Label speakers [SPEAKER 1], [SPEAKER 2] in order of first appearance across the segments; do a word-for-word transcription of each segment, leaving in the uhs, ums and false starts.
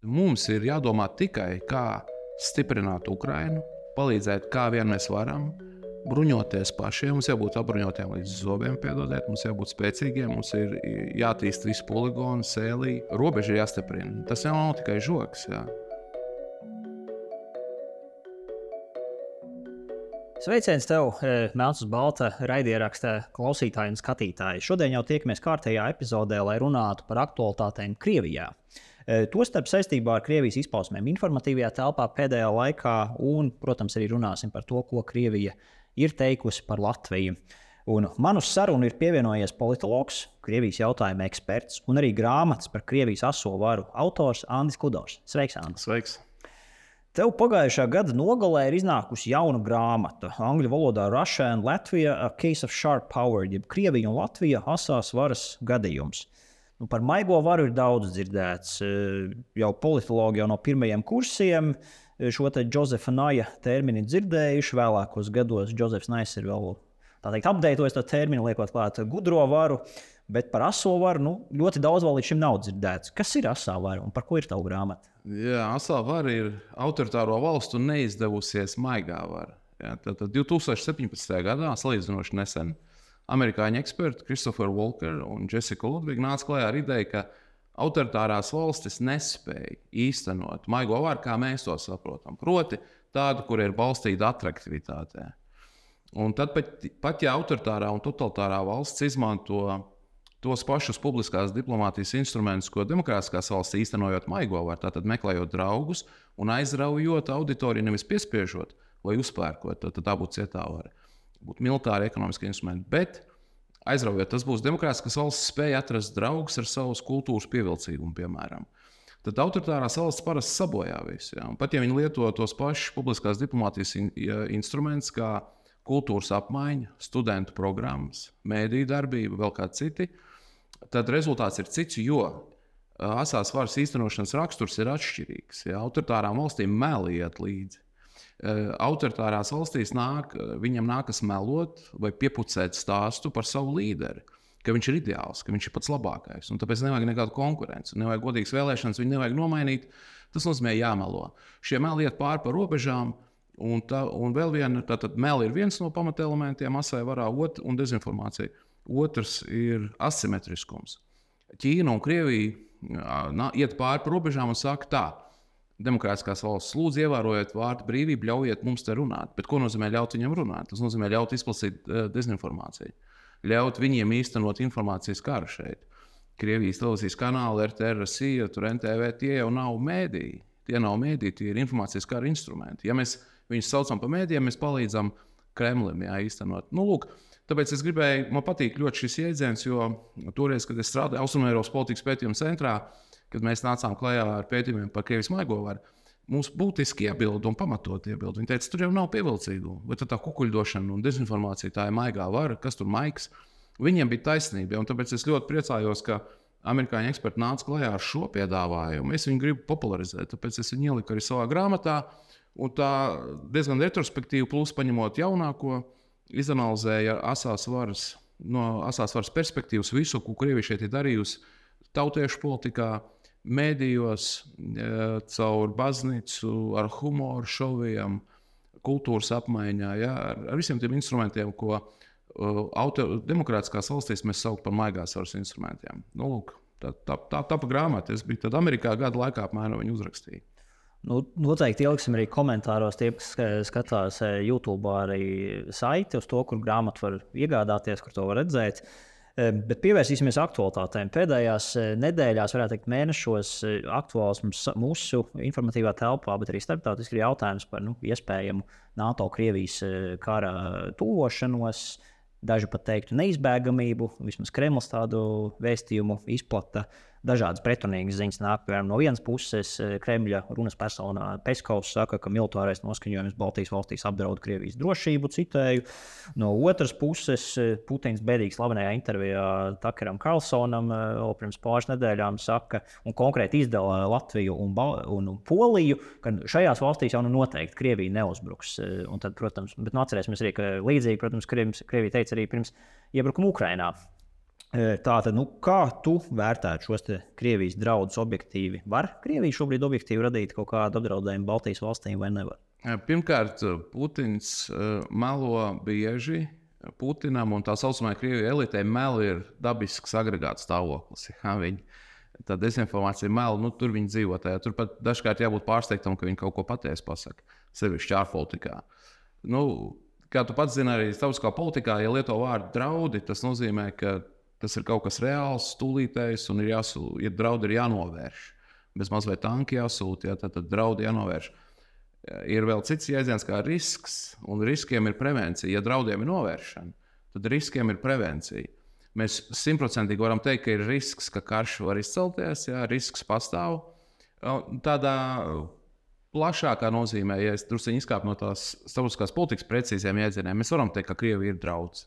[SPEAKER 1] Mums ir jādomā tikai, kā stiprināt Ukrainu, palīdzēt, kā vien mēs varam, bruņoties pašiem. Mums jābūt apbruņotiem līdz zobiem, piedodiet, mums jābūt spēcīgiem, mums ir jātīst visu poligonu, sēlī, robeža ir jāstiprina. Tas jau nav tikai žoks. Jā.
[SPEAKER 2] Sveiciens tev, Melns uz balta raidieraksta klausītāji un skatītāji. Šodien jau tiekamies kārtējā epizodē, lai runātu par aktualitātēm Krievijā. Tostarp saistībā ar Krievijas izpausmēm informatīvajā telpā pēdējā laikā un, protams, arī runāsim par to, ko Krievija ir teikusi par Latviju. Un man uz sarunu ir pievienojies politologs, Krievijas jautājumu eksperts un arī grāmatas par Krievijas aso varu autors Andris Kudors. Sveiks, Andris!
[SPEAKER 1] Sveiks!
[SPEAKER 2] Tev pagājušā gada nogalē ir iznākusi jauna grāmata, angļu valodā Russia and Latvia, A Case of Sharp Power, jeb Krievija un Latvija asās varas gadījums. Nu, par maigo varu ir daudz dzirdēts. Jau politologi jau no pirmajiem kursiem šo te Josefa Naja termini dzirdējuši. Vēlākos gados Josefs Nais ir vēl tā teikt apdeitojis to terminu, liekot klāt gudro varu, bet par aso varu nu, ļoti daudz vēl līdz šim nav dzirdēts. Kas ir asā vara un par ko ir tava grāmata?
[SPEAKER 1] Jā, asā vara ir autoritāro valstu neizdevusies maigā vara. Jā, tad divi tūkstoši septiņpadsmitajā gadā, salīdzinoši nesen, amerikāņu eksperti Christopher Walker un Jessica Ludvig nāca klajā ar ideju, ka autoritārās valstis nespēja īstenot maigo varu, kā mēs to saprotam. Proti, tādu, kur ir balstīta atraktivitātē. Un tad pat, pat ja autoritārā un totalitārā valsts izmanto tos pašus publiskās diplomātijas instrumentus, ko demokrātiskās valsts īstenojot maigo varu, tātad meklējot draugus un aizraujot auditoriju, nevis piespiežot vai uzpērkot, tad tā būtu cietā vara. Būtu militāri, ekonomiski instrumenti, bet aizraujot, tas būs demokrātiskas valsts spēja atrast draugus ar savas kultūras pievilcīgumu, piemēram. Tad autoritārās valsts parasti sabojā visu. Ja? Un pat ja viņi lieto tos pašus publiskās diplomātijas in, ja, instrumentus, kā kultūras apmaiņa, studentu programmas, mēdīju darbība, vēl kādi citi, tad rezultāts ir cits, jo asās varas īstenošanas raksturs ir atšķirīgs. Ja? Autoritārām valstīm meli iet līdzi. Autoritārās valstīs nāk, viņam nākas melot vai piepucēt stāstu par savu līderi, ka viņš ir ideāls, ka viņš ir pats labākais. Un tāpēc nevajag nekādu konkurenci, nevajag godīgas vēlēšanas, viņu nevajag nomainīt. Tas nozīmē jāmelo. Šie meli iet pāri par robežām, un, tā, un vēl viena, tātad meli ir viens no pamatelementiem asai varā, ot, un dezinformācija. Otrs ir asimetriskums. Ķīna un Krievija iet pāri par robežām un saka tā. Demokrātiskās valsts lūdzu ievērojiet vārdu brīvību, ļaujiet mums te runāt. Bet ko nozīmē ļaut viņam runāt? Tas nozīmē ļaut izplatīt uh, dezinformāciju. Ļaut viņiem īstenot informācijas karu šeit. Krievijas televīzijas kanāli, R T R, Rusija, tur N T V, tie jau nav mēdīji. Tie nav mēdīji, tie ir informācijas kara instrumenti. Ja mēs viņus saucam par mēdījiem, mēs palīdzam Kremlim jā, īstenot. Nu, lūk, tāpēc es gribēju, man patīk ļoti šis jēdziens, jo toreiz, kad es strādāju Austrumeiropas politikas pētījuma centrā, kad mēs nācām klajā ar pētījumiem par Krievijas maigo varu, mums būtiski iebildi un pamatot iebildi. Viņi teica, tur jau nav pievilcīgu, vai tā kukuļdošana un dezinformācija, tā ir maigā vara, kas tur maigs. Viņiem bija taisnība, un tāpēc es ļoti priecājos, ka amerikāņu eksperti nāca klajā ar šo piedāvājumu. Es viņu gribu popularizēt, tāpēc es viņu ieliku arī savā grāmatā, un tā diezgan retrospektīvi, plus paņemot jaunāko, izanalizēja asās varas, no asās varas perspektīvas visu, ko Krievija šeit ir darījusi tautiešu politikā, mēdījos, caur baznīcu, ar humoru, šoviem, kultūras apmaiņā, ja, ar, ar visiem tiem instrumentiem, ko auto, demokrātiskās valstīs mēs sauc par maigās varas instrumentiem. Nu, lūk, tā, tā, tā tapa grāmata. Es biju tad Amerikā gada laikā apmēram viņu uzrakstīju.
[SPEAKER 2] Nu, noteikti ieliksim arī komentāros tie, kas skatās YouTube arī saiti uz to, kur grāmatu var iegādāties, kur to var redzēt. Bet pievērsīsimies aktualitātēm. Pēdējās nedēļās, varētu teikt, mēnešos aktuāls mūsu informatīvā telpā, bet arī starptautiski ir jautājums par nu, iespējamu NATO-Krievijas kara tuvošanos, daži pat teiktu neizbēgamību, vismaz Kremlis tādu vēstījumu izplata. Dažādas pretrunīgas ziņas nāk, piemēram, no vienas puses Kremļa runas personā Peskovs saka, ka militārais noskaņojums Baltijas valstīs apdraud Krievijas drošību, citēju. No otras puses Putins bēdīgi slavenajā intervijā Takeram Karlsonam pirms pāris nedēļām saka, un konkrēti izdala Latviju un, un, un Poliju, ka šajās valstīs jau nu noteikti Krievija neuzbruks. Un tad, protams, bet nu atcerēsimies arī, ka līdzīgi, protams, Krievija teica arī pirms iebrukuma Ukrainā. Tātad, nu, kā tu vērtētu šos Krievijas draudus objektīvi? Var Krievija šobrīd objektīvi radīt kaut kādu apdraudējumu Baltijas valstīm vai nevar?
[SPEAKER 1] Pirmkārt, Putins melo bieži. Putinam un tā saucamajai Krievijas elitei meli ir dabisks agregāts stāvoklis. Ja, viņi, tā dezinformācija meli, nu, tur viņi dzīvo tajā. Tur pat dažkārt jābūt pārsteigtam, ka viņi kaut ko patiesi pasaka, sevišķi ārpolitikā. Nu, kā tu pats zini, arī starptautiskā politikā, ja lieto vārdu draudi, tas nozīmē, ka tas ir kaut kas reāls, stulītējs, un ir jāsūta, ja draudi ir jānovērš. Bez mazliet tanki jāsūta, ja, tad, tad draudi jānovērš. Ir vēl cits jēdziens kā risks, un riskiem ir prevencija. Ja draudiem ir novēršana, tad riskiem ir prevencija. Mēs simtprocentīgi varam teikt, ka ir risks, ka karš var izcelties, ja, risks pastāv. Tādā plašākā nozīmē, ja es drusku izkāpu no tās starptautiskās politikas precīziem jēdzieniem, mēs varam teikt, ka Krievija ir draudz,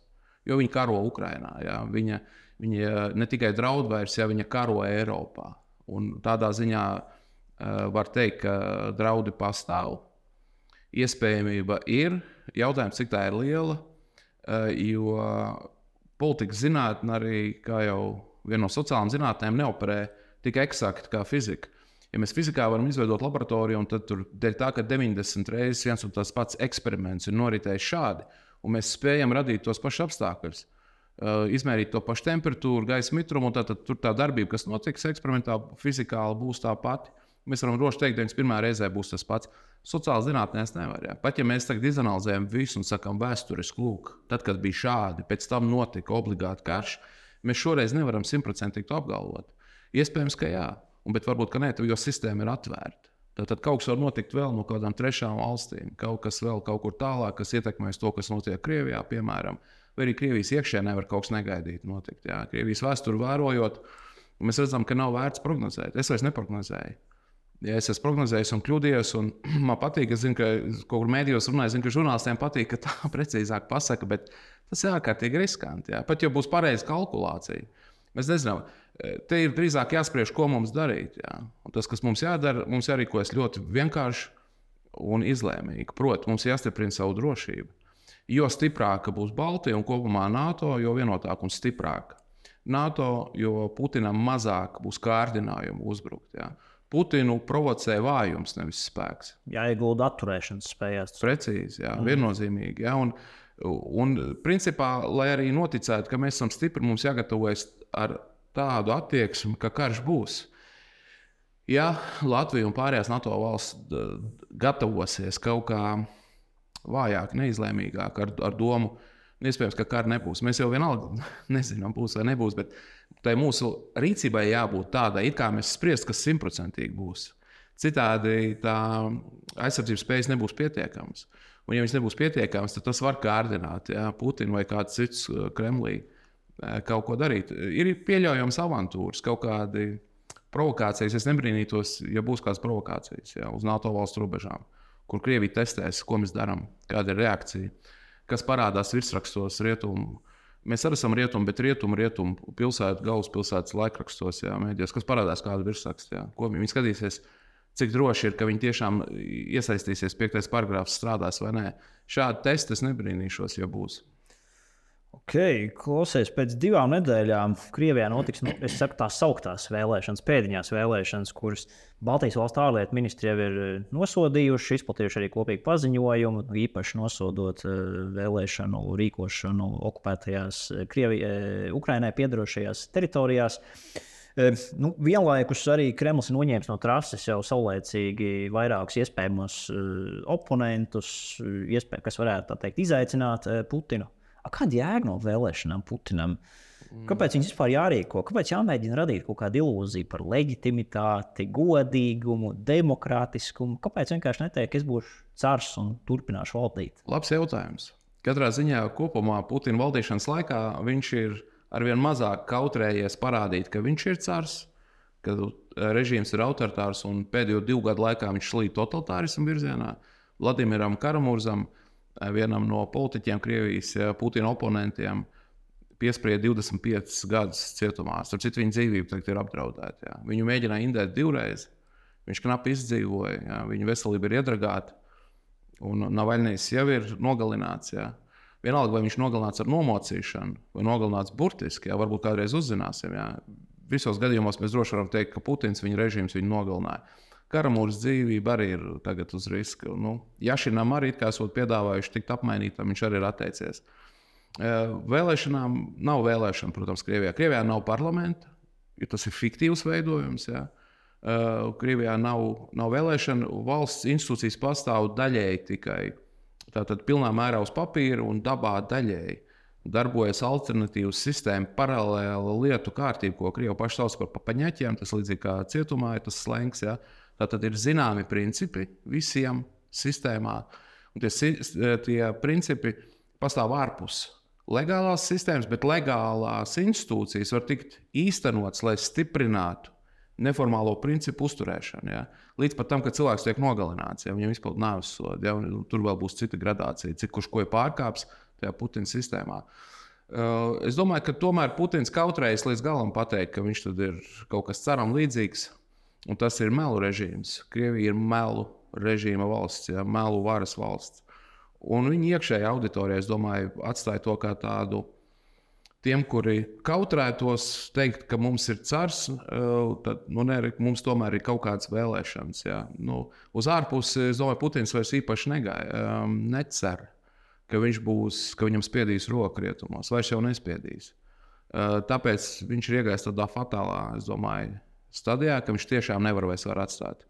[SPEAKER 1] jo viņa karo Ukrainā. Ja. Viņa, viņa ne tikai draud vairs, ja viņa karo Eiropā. Un tādā ziņā uh, var teikt, ka draudi pastāv. Iespējamība ir. Jautājums, cik tā ir liela, uh, jo politikas zinātne arī, kā jau viena no sociālām zinātnēm, neoperē tik eksakti kā fizika. Ja mēs fizikā varam izveidot laboratoriju, un tad tur dēļ tā, ka deviņdesmit reizes viens un tas pats eksperiments ir noritējis šādi, un mēs spējam radīt tos pašus apstākļus, uh, izmērīt to pašu temperatūru, gaisa mitrumu, un tad, tad tur tā darbība, kas notiks eksperimentā, fizikāli būs tā pati. Mēs varam droši teikt, ka deviņdesmit pirmajā reizē būs tas pats. Sociāli zinātnēs nevar. Jā. Pat ja mēs tagad izanalizējam visu un sakām vēsturiski, lūk, tad, kad bija šādi, pēc tam notika obligāti karš, mēs šoreiz nevaram simtprocentīgi to apgalvot. Iespējams, ka jā, un, bet varbūt, ka nē, jo sistēma ir atvērta. Tad, tad kaut kas var notikt vēl no kādām trešām valstīm, kaut kas vēl kaut kur tālāk, kas ietekmēs to, kas notiek Krievijā, piemēram, vai arī Krievijas iekšēnē var kaut kas negaidīt notikt. Jā. Krievijas vēsturi vērojot, mēs redzam, ka nav vērts prognozēt. Es vairs neprognozēju. Ja es esmu prognozējis un kļūdījies, un man patīk, es zinu, ka kaut kur mēdījos runāju, zinu, ka žurnālistiem patīk, ka tā precīzāk pasaka, bet tas ir ārkārtīgi riskanti. Jā. Pat jau būs pareiza kalkulācija. Mēs nezinām, te ir drīzāk jāspriež, ko mums darīt. Jā. Un tas, kas mums jādara, mums jārīkojas ļoti vienkārši un izlēmīgi. Proti, mums jāstiprina savu drošību. Jo stiprāka būs Baltija un kopumā NATO, jo vienotāka un stiprāka. NATO, jo Putinam mazāk būs kārdinājumu uzbrukt. Jā. Putinu provocē vājums, nevis spēks.
[SPEAKER 2] Jāiegulda atturēšanas spējās.
[SPEAKER 1] Precīzi, jā, viennozīmīgi. Jā, un, un principā, lai arī noticētu, ka mēs esam stipri, mums jāgatavojas ar tādu attieksmi, ka karš būs. Ja Latvija un pārējās NATO valsts gatavosies kaut kā vājāk, neizlēmīgāk, ar, ar domu, iespējams, ka kara nebūs. Mēs jau vienalga nezinām, būs vai nebūs, bet tai mūsu rīcībai jābūt tādai, it kā mēs spriest, kas simtprocentīgi būs. Citādi tā aizsardzības spējas nebūs pietiekamas. Un ja viņas nebūs pietiekamas, tad tas var kārdināt, ja, Putinu vai kāds cits Kremlī kaut ko darīt. Ir pieļaujams avantūras, kaut kādi provokācijas. Es nebrīnītos, ja būs kādas provokācijas, ja, uz NATO valstu robežām, kur Krievija testēs, ko mēs darām, kāda ir reakcija. Kas parādās virsrakstos rietumu. Mēs arī esam rietumi, bet rietumu, rietumu pilsētu, galvaspilsētas laikrakstos, jā, mēdījos, kas parādās kādu virsrakstu. Jā. Ko viņi skatīsies, cik droši ir, ka viņi tiešām iesaistīsies, piektais paragrāfs strādās vai nē. Šādi testi es nebrīnīšos, ja būs.
[SPEAKER 2] Ok, klausies, pēc divām nedēļām Krievijā notiks, nu, es saku, tās sauktās vēlēšanas, pēdiņās vēlēšanas, kuras Baltijas valstu ārlietu ministri jau ir nosodījuši, izplatījuši arī kopīgu paziņojumu, īpaši nosodot vēlēšanu rīkošanu okupētajās Krievijai, Ukrainai piedarošajās teritorijās. Nu, vienlaikus arī Kremlis noņēma no trases jau saulēcīgi vairākus iespējamos oponentus, iespēj, kas varētu tā teikt, izaicināt Putinu. Kāda jēga no vēlēšanām Putinam? Kāpēc viņas vispār jārīko? Kāpēc jāmēģina radīt kaut kādu ilūziju par leģitimitāti, godīgumu, demokrātiskumu? Kāpēc vienkārši neteikt, ka es būšu cars un turpināšu valdīt?
[SPEAKER 1] Labs jautājums. Katrā ziņā kopumā Putina valdīšanas laikā viņš ir arvien mazāk kautrējies parādīt, ka viņš ir cars, ka režīms ir autoritārs un pēdējo divu gadu laikā viņš slīd totalitārismu virzienā. Vladimiram Karamurzam, vienam no politiķiem, Krievijas Putina oponentiem, piesprieda divdesmit piecus gadus cietumā. Starp citu, viņa dzīvība tagad ir apdraudēta. Jā. Viņu mēģināja indēt divreiz. Viņš knapi izdzīvoja. Jā. Viņa veselība ir iedragāta. Un Navaļnijs jau ir nogalināts. Jā. vienalga, vai viņš nogalināts ar nomocīšanu, vai nogalināts burtiski, jā, varbūt kādreiz uzzināsim. Jā. Visos gadījumos mēs droši varam teikt, ka Putins viņa režīms viņu nogalināja. Karamūras dzīvība arī ir tagad uz riska. Nu, Jašinam arī, kā esot piedāvājuši tikt apmainītam, viņš arī ir atteicies. Vēlēšanām nav vēlēšana, protams, Krievijā. Krievijā nav parlamenta, jo tas ir fiktīvs veidojums. Jā. Krievijā nav, nav vēlēšana, valsts institūcijas pastāv daļēji tikai. Tātad pilnā mērā uz papīra un dabā daļēji. Darbojas alternatīvas sistēma, paralēla lietu kārtība, ko Krievi paši sauc par papaņaķiem. Tas līdzīgi kā cietumā ir tas slengs. Ja? Tātad ir zināmi principi visiem sistēmā. Un tie, tie principi pastāv ārpus legālās sistēmas, bet legālās institūcijas var tikt īstenotas, lai stiprinātu neformālo principu uzturēšanu. Ja? Līdz pat tam, kad cilvēks tiek nogalināts, ja viņam izpildu nāves sodu. Ja? Tur vēl būs cita gradācija, cik kurš ko ir pārkāps tajā Putina sistēmā. Uh, es domāju, ka tomēr Putins kautrējas līdz galam pateikt, ka viņš tad ir kaut kas ceram līdzīgs, un tas ir melu režīms. Krievija ir melu režīma valsts, ja, melu varas valsts. Un viņi iekšējā auditorijā, es domāju, atstāja to kā tādu tiem, kuri kautrētos teikt, ka mums ir cars, uh, tad nu, ne, mums tomēr ir kaut kādas vēlēšanas. Ja. Nu, uz ārpusi, es domāju, Putins vairs īpaši negāja, um, necer. Ka viņš būs, ka viņam spiedīs roku rietumos, vairs jau nespiedīs. Uh, tāpēc viņš ir iegājis tādā fatālā, es domāju, stadijā, ka viņš tiešām nevar vairs var atstāt.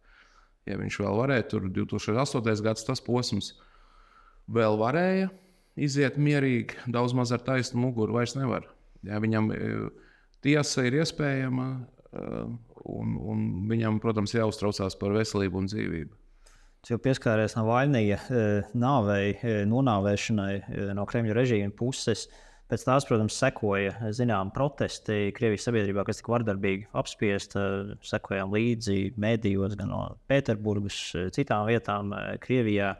[SPEAKER 1] Ja viņš vēl varēja, tur divi tūkstoši astotais gads tas posms vēl varēja iziet mierīgi, daudz maz ar taisnu muguru vairs nevar. Ja, viņam tiesa ir iespējama uh, un, un viņam, protams, jāuztraucās par veselību un dzīvību.
[SPEAKER 2] Jau pieskāries Navaļnija nāvei, nonāvēšanai no Kremļa režīma puses. Pēc tās, protams, sekoja zinām protesti Krievijas sabiedrībā, kas tika vardarbīgi apspiesta. Sekojām līdzi mēdījos gan no Pēterburgas, citām vietām Krievijā.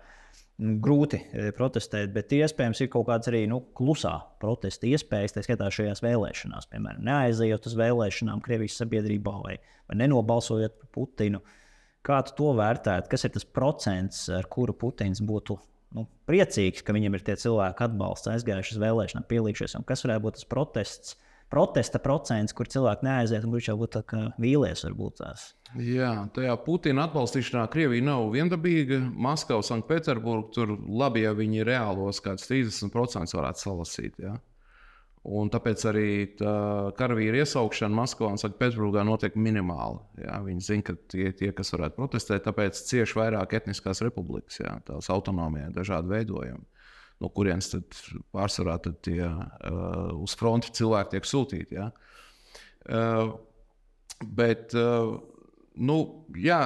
[SPEAKER 2] Grūti protestēt, bet iespējams ir kaut kāds arī nu, klusā protesta iespējas, tā skaitā šajās vēlēšanās. Piemēram, neaizejot uz vēlēšanām Krievijas sabiedrībā vai, vai nenobalsojot par Putinu. Kā tu to vērtētu? Kas ir tas procents, ar kuru Putins būtu nu, priecīgs, ka viņam ir tie cilvēki atbalsts, aizgājuši uz vēlēšanām, pielīgšies? Un kas varētu būt tas protests, protesta procents, kur cilvēki neaiziet un kurš jau būtu vīlies varbūt tās?
[SPEAKER 1] Jā, tajā Putina atbalstīšanā Krievija nav viendabīga. Maskava, Sanktpēterburga, tur labi, ja viņi reālos kāds trīsdesmit procenti varētu salasīt. Ja? Un tāpēc arī tā karavīra iesaukšana Maskavā un Sanktpēterburgā notiek minimāli. Jā, viņi zina, ka tie, tie, kas varētu protestēt, tāpēc cieši vairāk etniskās republikas, jā, tās autonomijā, dažādi veidojumi, no kurienes tad pārsvarā tad tie uh, uz fronti cilvēki tiek sūtīti. Jā. Uh, bet, uh, nu, jā,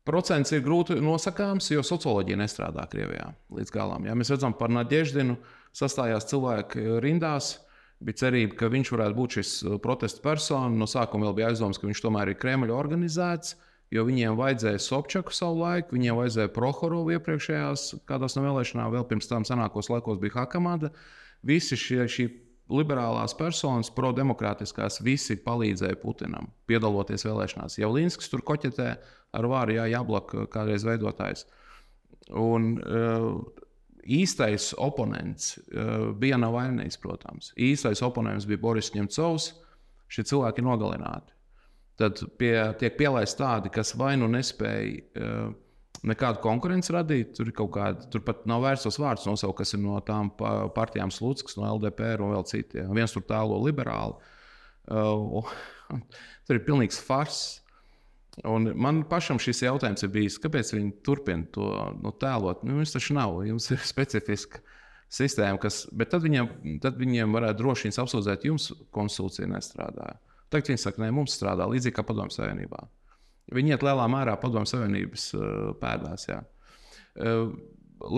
[SPEAKER 1] procents ir grūti nosakāms, jo socioloģija nestrādā Krievijā līdz galam. Jā. Mēs redzam par Nadeždinu, sastājās cilvēki rindās, bija cerība, ka viņš varētu būt šis protesta persona. No sākuma vēl bija aizdoms, ka viņš tomēr ir Kremļa organizēts, jo viņiem vajadzēja Sobčaku savu laiku, viņiem vajadzēja Prohorovu iepriekšējās kādās no vēlēšanām, vēl pirms tam senākos laikos bija Hakamada. Visi šie, šī liberālās personas, prodemokrātiskās, visi palīdzēja Putinam, piedaloties vēlēšanās. Javlinskis tur koķetē ar vāru, jā, Jablaka kādreiz veidotājs. Un, uh, Īstais oponents uh, bija Navaļnijs, protams. Īstais oponents bija Boris Ņemcovs. Šie cilvēki ir nogalināti. Tad pie, tiek pielaisti tādi, kas vai nu nespēja uh, nekādu konkurenci radīt. Tur, kāda, tur pat nav vērts tos vārdus nosaukt, kas ir no tām partijām Slutskas, no L D P R un vēl citiem. Viens tur tālo liberāli. Uh, tur ir pilnīgs fars. Un man pašam šis jautājums ir bijis, kāpēc viņi turpina to nu, tēlot. Nu, jums taču nav, jums ir specifiska sistēma, kas, bet tad viņiem, tad viņiem varētu droši vien apsūdzēt, jums konstitūcija nestrādā. Tagad viņi saka, ne, mums strādā līdzīgi kā Padomju Savienībā. Viņi iet lielā mērā Padomju Savienības uh, pēdās. Jā. Uh,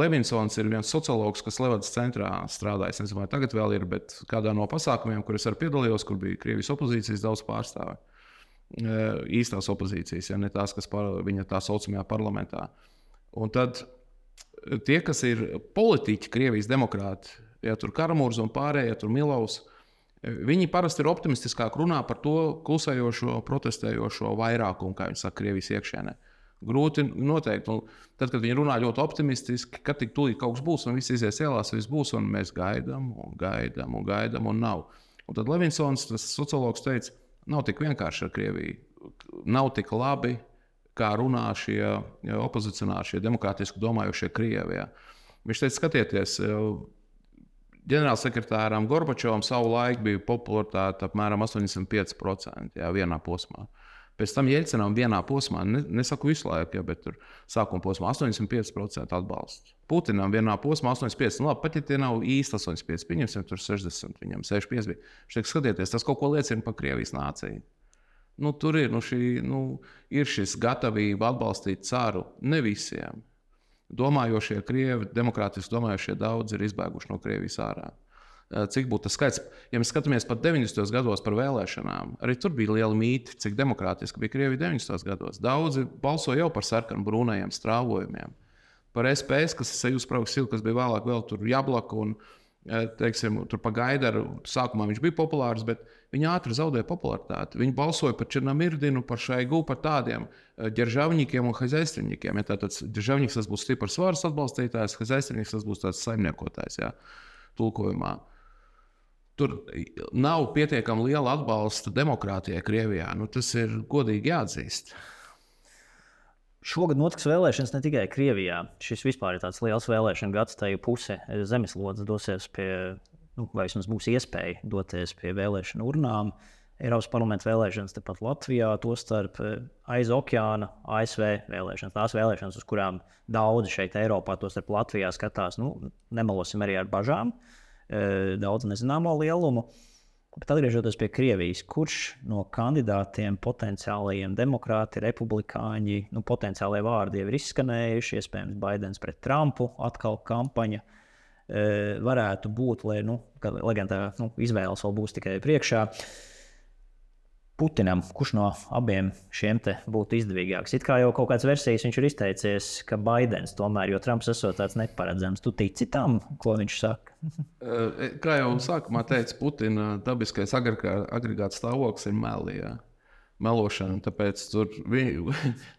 [SPEAKER 1] Levinsons ir viens sociologs, kas Levadas centrā strādājas. Es nezinu, vai tagad vēl ir, bet kādā no pasākumiem, kur es arī piedalījos, kur bija Krievijas opozīcijas daudz pārstāvi. Īstās opozīcijas, ja ne tās, kas par, viņa tā saucamajā parlamentā. Un tad tie, kas ir politiķi, Krievijas demokrāti, ja tur Karamūrs un pārējie, ja tur Milovs, viņi parasti ir optimistiskāk runā par to klusējošo, protestējošo vairākumu, kā viņi saka, Krievijas iekšēnē. grūti noteikt. Un tad, kad viņi runā ļoti optimistiski, ka tik tūlīt kaut kas būs, un viss izies ielās, viss būs, un mēs gaidām, un gaidām, un gaidām, un nav. Un tad Levinsons, tas sociologs, teica, nav tik vienkārši ar Krieviju. Nav tik labi, kā runā šie opozicionāri, šie demokrātiski domājošie Krievi. Ja. Viņš teica, skatieties, ģenerālsekretāram Gorbačovam savu laiku bija popularitāte apmēram astoņdesmit pieci procenti jā, vienā posmā. Pēc tam Jeļcinam vienā posmā, ne, nesaku visu laiku, ja, bet tur sākuma posmā astoņdesmit pieci procenti atbalsts. Putinam vienā posmā astoņdesmit pieci procenti. Nu, labi, pat ja tie nav īsti astoņdesmit pieci, pieņemsim tur sešdesmit, viņam sešdesmit pieci bija. Viņš teiks, skatieties, tas kaut ko liecina par Krievijas nāciju. Nu, tur ir, nu, šī, nu, ir šis gatavība atbalstīt caru ne visiem. Domājošie Krievi, demokrātiski domājošie daudz ir izbēguši no Krievijas ārā. Cik būtu tas skaits? Ja mēs skatāmies pat deviņdesmitajos gados par vēlēšanām, arī tur bija liela mīti, cik demokrātiski bija Krievija deviņdesmitajos gados. Daudzi balsoja jau par sarkanu brūnajiem strāvojumiem. Par S P S, kas ir Sajūspraugas silu, kas bija vēlāk vēl tur Jablaka un, teiksim, tur pa Gaidaru. Sākumā viņš bija populārs, bet viņi ātri zaudēja popularitāti. Viņi balsoja par Černomirdinu, par Šaigu, par tādiem ģeržavņikiem un hazaistrinņikiem. Ja tātad ģeržavņiks tas būs stiprs varas atbalstītājs, hazaistrinņiks tas būs tāds saimniekotājs, jā, tulkojumā. Tur nav pietiekami liela atbalsta demokrātijai Krievijā. Nu, tas ir godīgi jāatzīst.
[SPEAKER 2] Šogad notiks vēlēšanas ne tikai Krievijā. Šis vispār ir tāds liels vēlēšana gads, tā jau puse zemeslodes dosies pie, nu, vai vismaz būs iespēja doties pie vēlēšanu urnām. Eiropas parlamenta vēlēšanas tepat Latvijā, tostarp aiz okeāna A S V vēlēšanas. Tās vēlēšanas, uz kurām daudzi šeit Eiropā, tostarp Latvijā skatās, nu, nemelosim arī ar bažām. Daudz nezināmo lielumu. Bet atgriežoties pie Krievijas, kurš no kandidātiem, potenciālajiem demokrāti, republikāņi, nu, potenciālie vārdi jau ir izskanējuši, iespējams, Baidens pret Trumpu, atkal kampaņa varētu būt, lai, nu, lai gan tā nu, izvēles vēl būs tikai priekšā. Putinam, kurš no abiem šiem te būtu izdevīgāks? It kā jau kaut kāds versijas viņš ir izteicies, ka Baidens tomēr, jo Trumps esot tāds neparedzams. Tu tici tam, ko viņš saka?
[SPEAKER 1] Kā jau sākumā teica, Putina dabiskais agregāts stāvoklis ir meli, jā. Melošana. Tāpēc tur vi...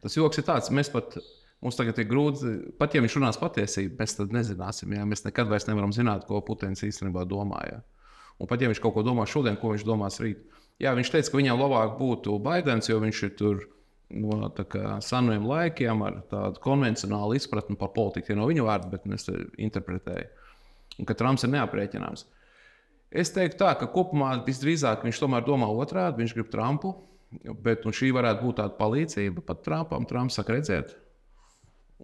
[SPEAKER 1] tas joks ir tāds, mēs pat, mums tagad ir grūti, pat ja viņš runās patiesību, mēs tad nezināsim, jā. Mēs nekad vairs nevaram zināt, ko Putins īstenībā domā, jā. Un pat ja viņš kaut ko domā šodien, ko viņš domās rīt. Jā, viņš teica, ka viņam labāk būtu Baidens, jo viņš ir tur no seniem laikiem ar tādu konvencionālu izpratni par politiku. No viņa vārda, bet es interpretēju. Un ka Trumps ir neaprēķināms. Es teiktu tā, ka kopumā visdrīzāk viņš tomēr domā otrādi, viņš grib Trumpu, bet šī varētu būt tāda palīdzība pat Trumpam. Trumps saka, redziet,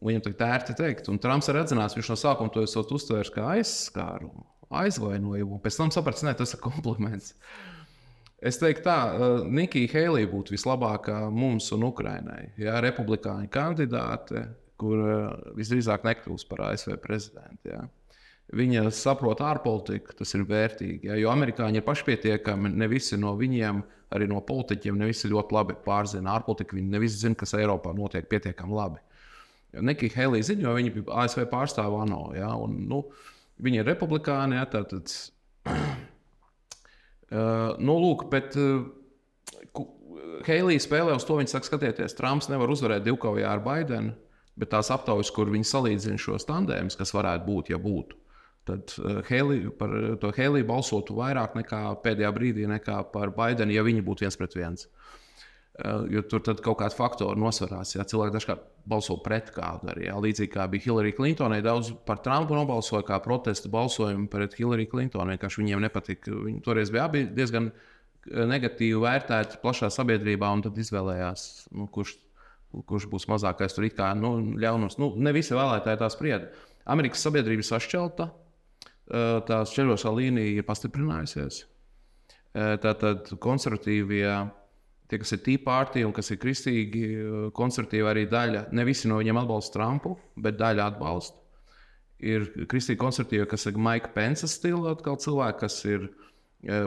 [SPEAKER 1] viņam tā ērti teikt. Un Trumps ir atzinās, viņš no sākuma to esot uztvērs kā aizskārumu, aizvainojumu. Pēc tam saprats, ne, tas ir kompliments. Es teiktu tā, Nikija Heilija būtu vislabākā mums un Ukrainai. Jā, republikāņu kandidāte, kur visdrīzāk nekļūs par A S V prezidentu. Jā. Viņa saprot ārpolitiku, tas ir vērtīgi. Jā, jo amerikāņi ir pašpietiekami, ne visi no viņiem, arī no politiķiem, ne visi ļoti labi pārzina ārpolitiku. Viņi ne visi zina, kas Eiropā notiek pietiekami labi. Nikija Heilija ziņo, jo viņa bija A S V pārstāva ANO. Jā, un, nu, viņa ir republikāni, jā, tātad... Uh, nu, lūk, bet uh, Heilija spēlē uz to, viņa saka, skatieties, Trumps nevar uzvarēt divkaujā ar Baidenu, bet tās aptaujas, kur viņi salīdzina šos tandēmus, kas varētu būt, ja būtu, tad uh, Heilija, par to Heiliju balsotu vairāk nekā pēdējā brīdī, nekā par Baidenu, ja viņi būtu viens pret viens. Uh, jo tur tad kaut kādi faktori nosvarās, ja cilvēki dažkārt balso pret kādu arī. Ja. Līdzīgi kā bija Hillary Clintonai, daudz par Trumpu nobalsoja kā protestu balsojumu pret Hillary Clintonu. Vienkārši viņiem nepatika. Viņi toreiz bija abi diezgan negatīvi vērtēti plašā sabiedrībā, un tad izvēlējās, nu, kurš, kurš būs mazākais tur it kā nu, ļaunums. Nu, ne visi vēlētāji tā sprieda. Amerikas sabiedrība ir sašķelta, tās šķeļošā līnija ir pastiprinājusies. Tātad konservatīvie, tie, kas ir Tea Party un kas ir kristīgi konservatīvi, arī daļa, ne visi no viņiem atbalsta Trumpu, bet daļa atbalsta. Ir kristīgi konservatīvi, kas ir Mike Pence stila atkal cilvēki, kas ir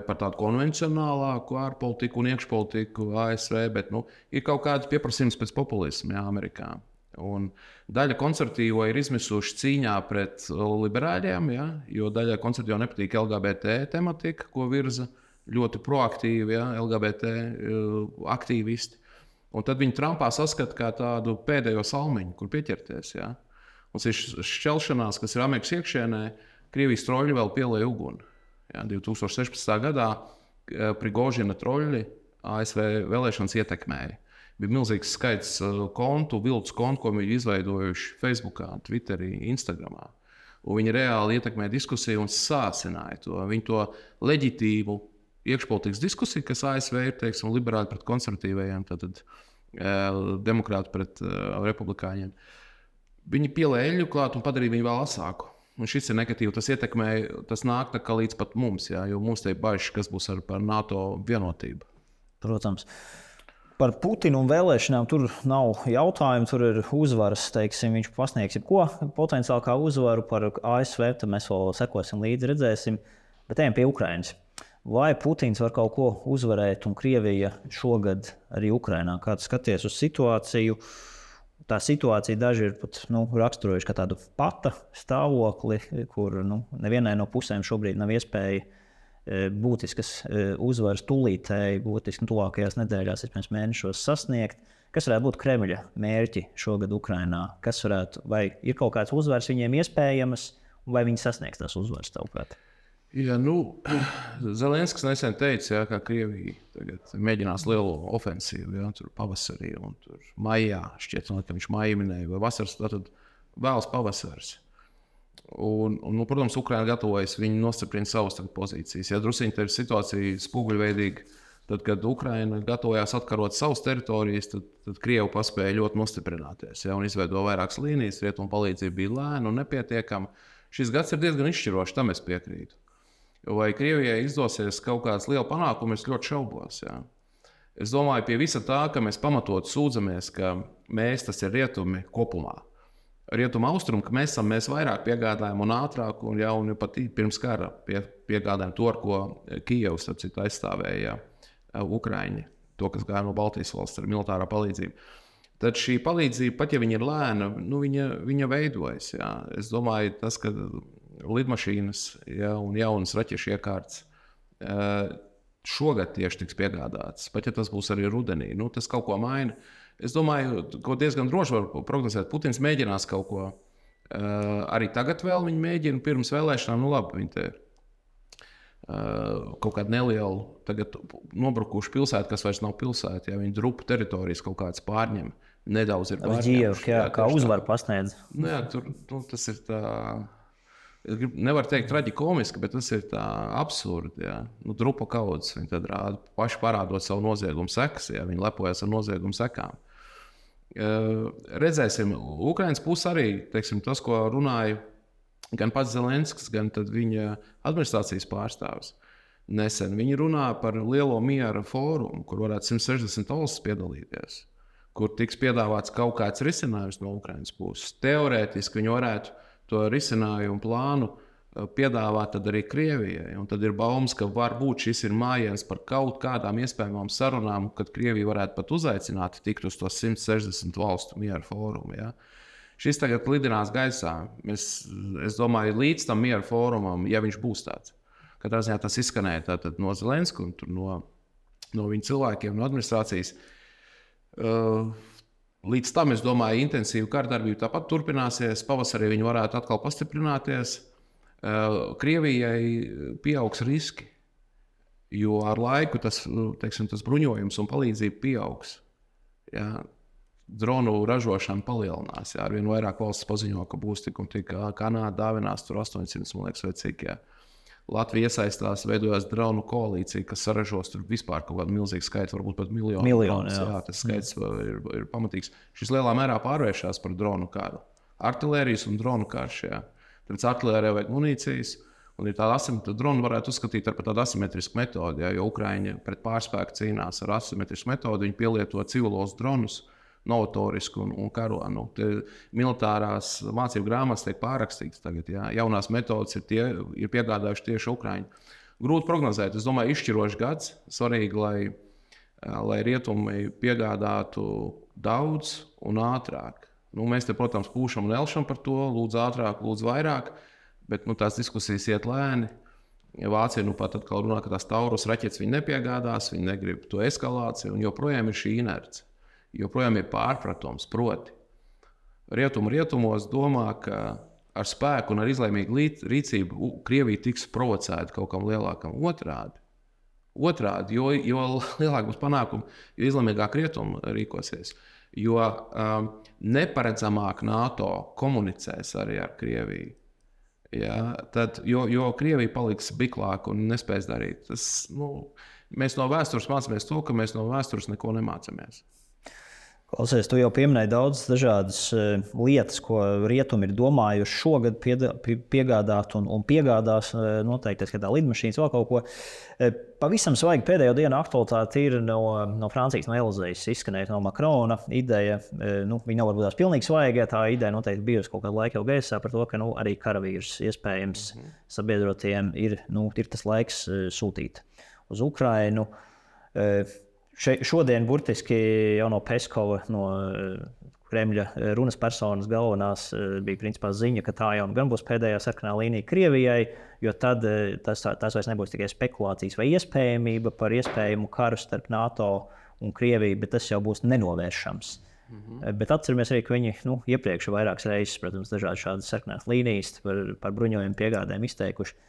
[SPEAKER 1] par tādu konvencionālāku ārpolitiku un iekšpolitiku A S V, bet nu, ir kaut kāds pieprasījums pēc populismu, jā, Amerikā. Un daļa konservatīvo ir izmisuši cīņā pret liberāļiem, jā, jo daļa konservatīvo nepatīk L G B T tematika, ko virza ļoti proaktīvi, ja, L G B T aktīvisti. Un tad viņi Trumpā saskata kā tādu pēdējo salmiņu, kur pieķerties. Ja? Un šis šķelšanās, kas ir Amerikas iekšienē, Krievijas troļļi vēl pielēja uguni. Ja? divi tūkstoši sešpadsmitā gadā Prigožina troļļi A S V vēlēšanas ietekmēja. Bija milzīgs skaits kontu, viltus kontu, ko viņi izveidojuši Facebookā, Twitterī, Instagramā. Un viņi reāli ietekmēja diskusiju un sāsināja to. Viņi to leģitīvu iekšpolitikas diskusiju, kas A S V ir, teiksim, liberāli pret konservatīvajiem, tātad demokrāti pret uh, republikāņiem. Viņi pielēja eļļu klāt un padarīja viņu vēl asāku. Un šis ir negatīvi. Tas ietekmē, tas nāk tā kā līdz pat mums, jā, jo mums te ir bažas, kas būs ar par NATO vienotību.
[SPEAKER 2] Protams. Par Putinu un vēlēšanām tur nav jautājumu, tur ir uzvaras, teiksim, viņš pasniegs jebko potenciāli kā uzvaru par A S V, tad mēs vēl sekosim līdzi, redzēsim, bet ejam pie Ukrainas. Vai Putins var kaut ko uzvarēt un Krievija šogad arī Ukrainā? Kā tu skaties uz situāciju? Tā situācija daži ir pat nu, raksturojuši kā tādu pata stāvokli, kur nu, nevienai no pusēm šobrīd nav iespēja e, būtiskas e, uzvaras tūlītēji, būtiski tuvākajās nedēļās, pirms mēnešos sasniegt. Kas varētu būt Kremļa mērķi šogad Ukrainā? Kas varētu, vai ir kaut kāds uzvaras viņiem iespējamas, vai viņi sasniegs tās uzvaras tavuprāt?
[SPEAKER 1] Ja, nu, Zelenskis nesen teica, ja, ka Krievija tagad mēģinās lielu ofensīvu, ja, tur pavasarī un tur maijā, šķiet, ka viņš maijā minēja, vai vasaras, tad vēlas pavasars. Un, un, nu, protams, Ukraina gatavojas, viņi nostiprina savas pozīcijas. Ja drusiņi tā ir situācija spoguļveidīga, tad, kad Ukraina gatavojās atkarot savas teritorijas, tad, tad Krievi paspēja ļoti nostiprināties, ja, un izveido vairākas līnijas, rietumu palīdzība bija lēna un nepietiekama. Šis gads ir diezgan izšķirošs, tam es piekrītu. Vai Krievijai izdosies kaut kāds liels panākums, es ļoti šaubos. Jā. Es domāju, pie visa tā, ka mēs pamatot sūdzamies, ka mēs, tas ir rietumi kopumā. Rietuma austrumi, ka mēs esam, mēs vairāk piegādājam un ātrāk, un jau un pat pirms kara pie, piegādājam to, ar ko Kijevs aizstāvēja Ukraiņi, to, kas gāja no Baltijas valsts ar militārā palīdzību. Tad šī palīdzība, pat ja viņa ir lēna, nu, viņa, viņa veidojas. Jā. Es domāju, tas, ka lidmašīnas, ja, un jaunas raķešu iekārtas šogad tieši tiks piegādātas, pat ja tas būs arī rudenī, nu, tas kaut ko maina. Es domāju, ko diezgan droši var prognozēt. Putins mēģinās kaut ko. Arī tagad vēl viņi mēģina pirms vēlēšanām, nu labi, viņi te ir kaut kādu nelielu, tagad nobrukušu pilsētu, kas vairs nav pilsēta, ja viņi drupu teritorijas kaut kādas pārņem, nedaudz ir pārņemši.
[SPEAKER 2] Jā, kā uzvaru pasniedz.
[SPEAKER 1] Nu, jā, tur, nu, tas ir tā... Es nevaru teikt traģikomiski, bet tas ir tā absurdi. Ja. Nu, drupa kaudzes, viņi tad rāda paši parādot savu noziegumu sekas, ja viņi lepojas ar noziegumu sekām. Uh, redzēsim, Ukrainas puse arī, teiksim, tas, ko runāja gan pats Zelenskis, gan viņa administrācijas pārstāvis. Nesen viņi runā par lielo miera fórumu, kur varētu simt sešdesmit valstis piedalīties, kur tiks piedāvāts kaut kāds risinājums no Ukrainas puses. Teorētiski viņi varētu to risinājumu plānu piedāvāt tad arī Krievijai. Un tad ir baumas, ka varbūt šis ir mājiens par kaut kādām iespējamām sarunām, kad Krievija varētu pat uzaicināt tikt uz to simt sešdesmit valstu miera fórumu. Ja? Šis tagad lidinās gaisā. Mēs, es domāju, līdz tam miera fórumam, ja viņš būs tāds. Katrā ziņā tas izskanēja tātad no Zelenska un no, no viņa cilvēkiem, no administrācijas. Uh, Līdz tam, es domāju, intensīva kārdarbība tāpat turpināsies. Pavasarī viņi varētu atkal pastiprināties. Krievijai pieaugs riski, jo ar laiku tas, teiksim, tas bruņojums un palīdzība pieaugs. Ja? Dronu ražošana palielinās. Ja? Arvien vairāk valsts paziņo, ka būs tik un tik. Kanāda dāvinās tur astoņsimt, man liekas, vai cik. Ja? Latvija iesaistās, veidojās dronu koalīcija, kas saražos tur vispār kaut kādu milzīgu skaitu, varbūt pat miljonu.
[SPEAKER 2] Miljoni, jā.
[SPEAKER 1] Jā, tas skaits ir, ir pamatīgs. Šis lielā mērā pārvēršās par dronu karu. Artilērijas un dronu karš. Jā. Tāpēc artilērijai vajag munīcijas, un ir tāda asimetrisku dronu varētu uzskatīt par tādu asimetrisku metodi, jā, jo Ukraiņi pret pārspēku cīnās ar asimetrisku metodi, viņi pielieto civilos dronus, novatoriski un, un karo. Nu, militārās mācību grāmatas tiek pārrakstītas tagad. Jā. Jaunās metodas ir, tie, ir piegādājuši tieši Ukraiņi. Grūti prognozēt. Es domāju, izšķirošs gads. Svarīgi, lai, lai rietumi piegādātu daudz un ātrāk. Nu, mēs te, protams, pūšam un elšam par to. Lūdzu ātrāk, lūdzu vairāk. Bet nu, tās diskusijas iet lēni. Vācija nu pat atkal runā, ka tās Taurus raķetes viņi nepiegādās, viņi negrib to eskalāciju un joprojām ir šī inerce. joprojām ir pārpratums. Proti, rietumu rietumos domā, ka ar spēku un ar izlēmīgu rīcību Krievija tiks provocēta kaut kam lielākam. Otrādi, otrādi jo, jo lielāk būs panākumi, jo izlēmīgāk rietumi rīkosies. Jo um, neparedzamāk NATO komunicēs arī ar Krieviju. Ja, tad, jo, jo Krievija paliks biklāka un nespēs darīt. Tas, nu, mēs no vēstures mācāmies to, ka mēs no vēstures neko nemācāmies.
[SPEAKER 2] Klausies, tu jau pieminēji daudz dažādas uh, lietas, ko rietumi ir domājuši šogad piedā, pie, piegādāt un, un piegādās uh, noteikti, ka tā lidmašīnas vēl kaut ko. Uh, pavisam svaigi pēdējo dienu aktualitāte ir no, no Francijas, no Elizejas izskanēja no Makrona ideja. Uh, nu, viņa nav varbūt tās pilnīgi svaigi, tā ideja noteikti bijusi kaut kādu laiku jau gaisā par to, ka nu, arī karavīrus iespējams mm-hmm. sabiedrotiem ir, nu, ir tas laiks uh, sūtīt uz Ukrainu. Uh, Še, šodien burtiski jau no Peskova, no Kremļa runas personas galvenās bija principā ziņa, ka tā jau gan būs pēdējā sarkanā līnija Krievijai, jo tad tas, tas vairs nebūs tikai spekulācijas vai iespējamība par iespējamu karu starp NATO un Krieviju, bet tas jau būs nenovēršams. Mm-hmm. Bet atceramies arī, ka viņi nu, iepriekš vairākas reizes, protams, dažādi šādas sarkanās līnijas par, par bruņojumu piegādēm izteikuši.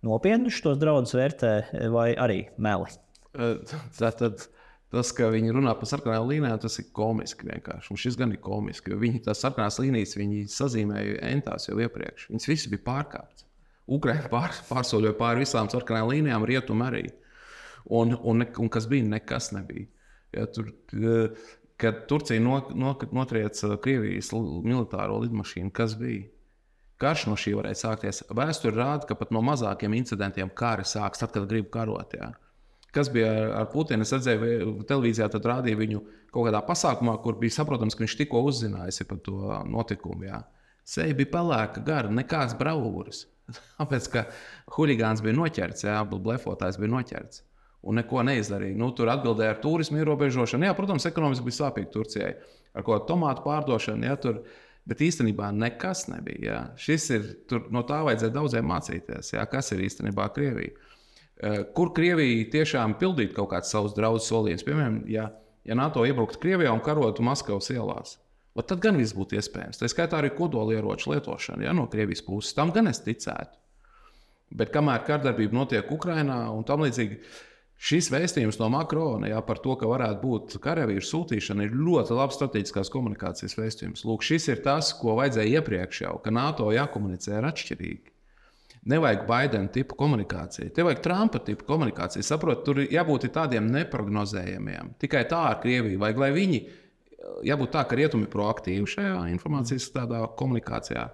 [SPEAKER 2] Nopietni šos draudus vērtē vai arī meli?
[SPEAKER 1] Tātad tas, ka viņi runā par sarkanām līnijām, tas ir komiski vienkārši. Un šis gan ir komiski, jo viņi tās sarkanās līnijas viņi sazīmēja entās jau iepriekš. Viņas visas bija pārkāptas. Ukraina pār, pārsoļoja pāri visām sarkanām līnijām, rietumi arī. Un, un, un kas bija, nekas nebija. Ja, tur, kad Turcija no, no, notrieca Krievijas militāro lidmašīnu, kas bija? Karš no šī varēja sākties. Vēsture rāda, ka pat no mazākiem incidentiem kari sāks, tad, kad grib karot. Jā. Kas bija ar Putinu? Es redzēju, televīzijā tad rādīja viņu kaut kādā pasākumā, kur bija saprotams, ka viņš tikko uzzinājis par to notikumu. Jā. Seja bija pelēka, gara, nekāds bravūras. Tāpēc, ka huligāns bija noķerts, jā, blefotājs bija noķerts un neko neizdarīja. Nu, tur atbildēja ar turismu ierobežošanu. Jā, protams, ekonomiski bija sāpīgi Turcijai. Ar ko tomātu pārdošanu, jā, tur, bet īstenībā nekas nebija. Jā. Šis ir, tur, no tā vajadzēja daudziem mācīties, jā, kas ir īstenībā Krievija. Kur Krievija tiešām pildītu kaut kāds savus draudus solījumus. Piemēram, ja, ja NATO iebrauktu Krievijā un karotu Maskavas ielās, tad gan viss būtu iespējams. Tā skaitā arī kodolieroču lietošana, ja, no Krievijas puses. Tam gan es ticētu. Bet kamēr kardarbība notiek Ukrainā un tam līdzīgi, šis vēstījums no Makrona, ja, par to, ka varētu būt karavīru sūtīšana, ir ļoti labs strateģiskās komunikācijas vēstījums. Lūk, šis ir tas, ko vajadzēja iepriekš jau, ka NATO jākomunicē ar atšķirīgi. Nevajag Baidena tipu komunikāciju, te vajag Trumpa tipu komunikāciju. Saprot, tur jābūt tādiem neprognozējamiem. Tikai tā ar Krieviju vajag, lai viņi, jābūt tā, ka rietumi ir proaktīvi šajā informācijas tādā komunikācijā.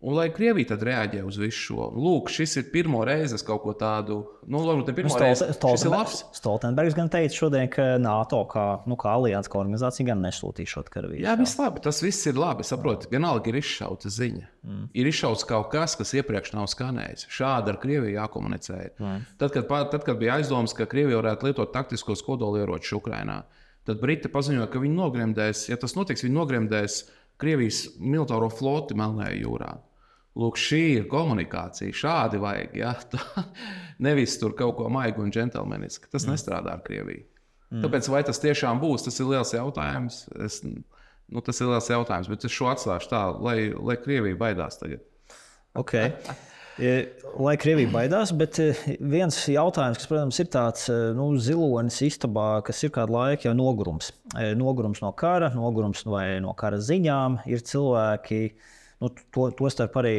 [SPEAKER 1] Un lai Krievija tad reaģē uz visu šo. Lūk, šis ir pirmo reizi kaut ko tādu, nu, varbūt ne pirmo
[SPEAKER 2] Stolte,
[SPEAKER 1] reizi, šis ir labs.
[SPEAKER 2] Stoltenbergs gan teica šodien, ka NATO kā, nu, kā alianses, kā organizācija gan nesūtīs šo karavīru.
[SPEAKER 1] Jā, viss labi, tas viss ir labi, saproti, vienalga ir izšauta ziņa. Mm. Ir izšauts kaut kas, kas iepriekš nav skanējis. Šādi ar Krieviju jākomunicē. Mm. Tad, kad, tad, kad bija aizdomas, ka Krievija varētu lietot taktiskos kodolieročus Ukrainā, tad Briti paziņoja, ka viņi nogremdēs, ja tas notiks, viņi nogremdēs Krievijas militāro floti Melnajā jūrā. Lūk, šī ir komunikācija. Šādi vajag. Ja? Nevis tur kaut ko maigu un džentelmeniski. Tas mm. nestrādā ar Krieviju. Mm. Tāpēc, vai tas tiešām būs, tas ir liels jautājums. Es, nu, tas ir liels jautājums, bet es šo atstāšu tā, lai, lai Krievija baidās tagad.
[SPEAKER 2] Okay. Lai Krievija baidās, bet viens jautājums, kas, protams, ir tāds nu, zilonis istabā, kas ir kādu laiku jau nogurums. Nogurums no kara, nogurums vai no kara ziņām. Ir cilvēki, nu, to, to starp arī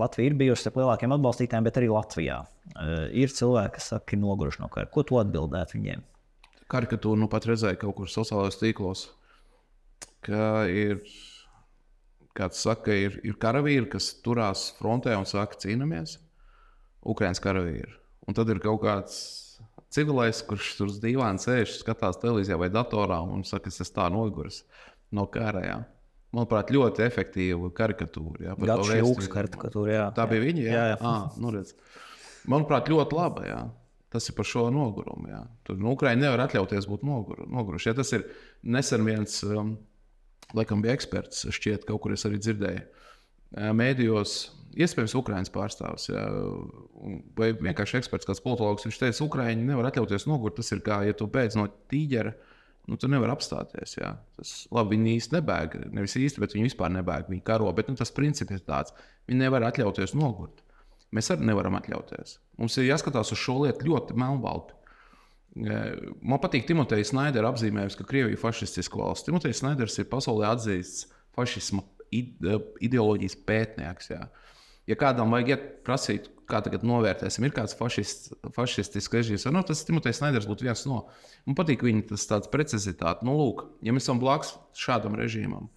[SPEAKER 2] Latvija ir bijusi starp lielākiem atbalstītājiem, bet arī Latvijā. Ir cilvēki, kas saka, ir noguruši no kara. Ko tu atbildētu viņiem?
[SPEAKER 1] Karikatūru nu pat redzēju kaut kur sociālajos tīklos, ka ir... Kāds saka, ir, ir karavīri, kas turās frontē un saka, cīnāmies. Ukrainas karavīri. Un tad ir kaut kāds civilais, kurš tur uz dīvāna sēž, skatās televīzijā vai datorā un saka, es esmu tā noguris no kara. Jā. Manuprāt, ļoti efektīva karikatūra.
[SPEAKER 2] Gats Šilks karikatūra, jā.
[SPEAKER 1] Tā bija viņa? Jā,
[SPEAKER 2] jā. jā.
[SPEAKER 1] À, nu redz. Manuprāt, ļoti laba, jā. Tas ir par šo nogurumu, jā. Tur nu, Ukraina nevar atļauties būt nogur, noguruši. Ja tas ir nesen viens... Um, Laikam bija eksperts, šķiet, kaut kur es arī dzirdēju. Mēdījos, iespējams, Ukrainas pārstāvs, jā, vai vienkārši eksperts, kāds politologs, viņš teica, Ukraiņi nevar atļauties nogurt. Tas ir kā, ja tu beidz no tīģera, nu, tu nevari apstāties. Jā. Tas, labi, viņi īsti nebēg, nevis īsti, bet viņi vispār nebēg, viņi karo, bet nu, tas princips ir tāds, viņi nevar atļauties nogurt. Mēs arī nevaram atļauties. Mums ir jāskatās uz šo lietu ļoti melnbalti. Man patīk Timotejs Snaidera apzīmējums, ka Krievija ir fašistiska valsts. Timotejs Snaiders ir pasaulē atzīsts fašisma ideoloģijas pētnieks. Jā. Ja kādam vajag iet prasīt, kā tagad novērtēsim, ir kāds fašist, fašistisks režīms, no, tas Timotejs Snaiders būtu viens no. Man patīk viņa tas tāds precizitāte. Nu, lūk, ja mēs esam blakus šādam režīmam,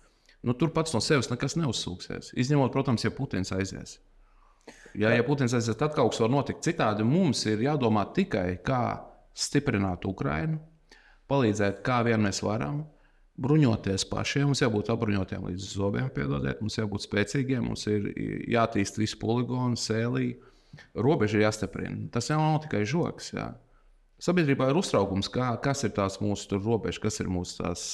[SPEAKER 1] nu, tur pats no sevis nekas neuzsūksies. Izņemot, protams, ja Putins aizies. Ja, ja Putins aizies, tad kaut kas var notikt citādi. Mums ir jādomā tikai, kā stiprināt Ukrainu, palīdzēt, kā vien mēs varam, bruņoties pašiem. Mums jābūt apbruņotiem līdz zobiem, piedodiet, mums jābūt spēcīgiem, mums ir jātīst visu poligonu, sēlī. Robeža ir jāstiprina. Tas jau nav tikai žoks. Jā. Sabiedrībā ir uztraukums, kā, kas ir tās mūsu robežas, kas ir mūsu tās.